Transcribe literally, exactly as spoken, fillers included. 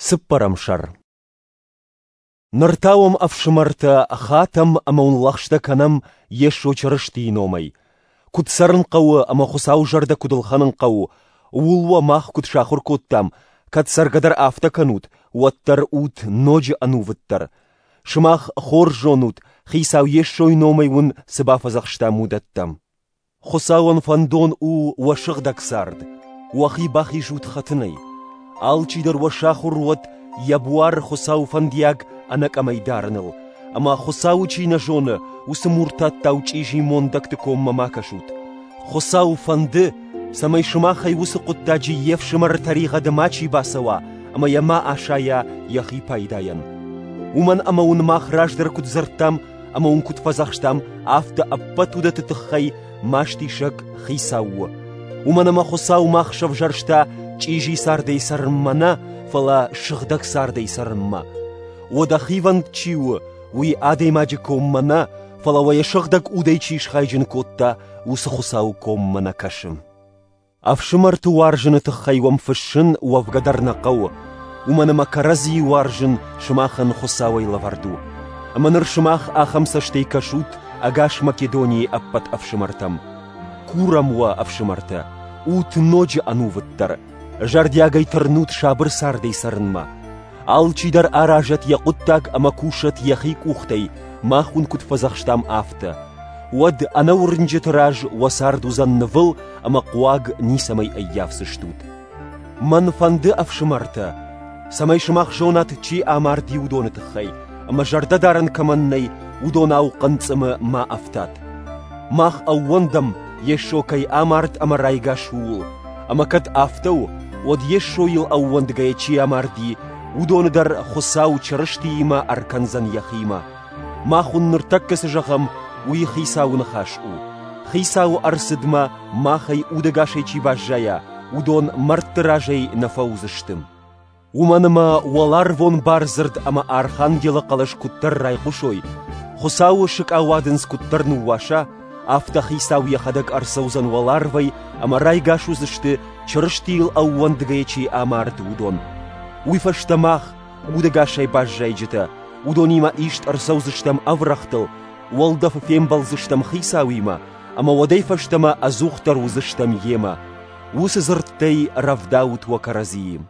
Цыппӕрӕм сӕр. Ныр та уӕм, ӕфсымӕртӕ, хатӕм ӕмӕ уын лӕгъстӕ кӕнӕм Йесо Чырыстийы номӕй. Куыд цӕрын хъӕуы ӕмӕ Хуыцауы зӕрдӕ куыд ӕлхӕнын хъӕуы, ууыл уӕ мах куыд сахуыр кодтам, кӕд цӕргӕ дӕр афтӕ кӕнут, уӕддӕр ут ноджы ӕнувыддӕр. Сымах хорз зонут, Хицау Йесойы номӕй уын цы бафӕдзӕхстам, уыдӕттӕ. Хуыцауӕн фӕндон у уӕ сыгъдӕг цард, уӕхи бахизут хӕтынӕй. Алчидӕр уӕ сахуыр уӕд йӕ буар Хуыцауы фӕндиаг ӕнӕкъӕмӕй дарыныл, ӕмӕ Хуыцауы чи нӕ зоны, уыцы муртаттау чъизи мондӕгты коммӕ ма кӕсут. Хуыцауы фӕнды, цӕмӕй сымахӕй уыцы хъуыддаджы йе фсымӕры тӕригъӕды мачи бацӕуа ӕмӕ йӕ ма асайа йӕхи пайдайӕн. Уымӕн ӕмӕ уын мах раздӕр куыд дзырдтам ӕмӕ уын куыд фӕдзӕхстам, афтӕ ӕппӕт уыдӕтты тыххӕй мастисӕг Хицау у. Уымӕн ӕмӕ Хуыцау мах сӕвзӕрста чъизи цардӕй цӕрынмӕ нӕ, фӕлӕ сыгъдӕг цардӕй цӕрынмӕ. Уӕдӕ хивӕнд чи у, уый адӕймаджы коммӕ нӕ, фӕлӕ уӕ йӕ сыгъдӕг удӕй чи схайджын кодта, уыцы Хуыцауы коммӕ нӕ кӕсы. Ӕфсымӕрты уарзыны тыххӕй уӕм фыссын уӕвгӕ дӕр нӕ хъӕуы, уымӕн ӕмӕ кӕрӕдзийы уарзын сымахӕн Хуыцауӕй лӕвӕрд у. Ӕмӕ ныр сымах ахӕм цӕстӕй кӕсут ӕгас Македонийы ӕппӕт ӕфсымӕртӕм. Курӕм уӕ, ӕфсымӕртӕ, ут ноджы ӕнувыддӕр, зӕрдиагӕй тырнут сабыр цардӕй цӕрынмӕ. Алчидӕр аразӕд йӕ хъуыддаг ӕмӕ кусӕд йӕхи къухтӕй, мах уын куыд фӕдзӕхстам, афтӕ. Уӕд ӕнӕуырнджыты раз уӕ цард уыдзӕн нывыл ӕмӕ хъуаг ницӕмӕй ӕййафдзыстут. Мӕн фӕнды, ӕфсымӕртӕ, цӕмӕй сымах зонат, чи амарди, уыдоны тыххӕй, ӕмӕ зӕрдӕдарӕн кӕмӕн нӕй, уыдонау хъынцъымы ма ӕфтат. Мах ӕууӕндӕм, Йесо кӕй амард ӕмӕ райгас ууыл, ӕмӕ кӕд афтӕ у, уӕд Йесойыл ӕууӕндгӕйӕ чи амарди, уыдоны дӕр Хуыцау Чырыстиимӕ ӕркӕндзӕн йӕхимӕ. Мах уын ныртӕккӕ цы зӕгъӕм, уый Хицауы ныхас у. Хицауы ӕрцыдмӕ махӕй удӕгасӕй чи баззайа, уыдон мӕрдты разӕй нӕ фӕуыдзысты. Уымӕн ӕмӕ уӕларвон бардзырд ӕмӕ архангелы хъӕлӕс куыддӕр райхъуысой, Хуыцауы сыкъауадындз куыддӕр ныууаса, афтӕ Хицау йӕхӕдӕг ӕрцӕудзӕн уӕларвӕй ӕмӕ райгас уыдзысты, Чырыстийыл ӕууӕндгӕйӕ чи амард, уыдон. Уый фӕстӕ мах, удӕгасӕй баззайджытӕ, уыдонимӕ ист ӕрцӕудзыстӕм ӕврӕгътыл, уӕлдӕфы фембӕлдзыстӕм Хицауимӕ, ӕмӕ уӕдӕй фӕстӕмӕ ӕдзухдӕр уыдзыстӕм Йемӕ. Уыцы дзырдтӕй рӕвдаут уӕ кӕрӕдзийы.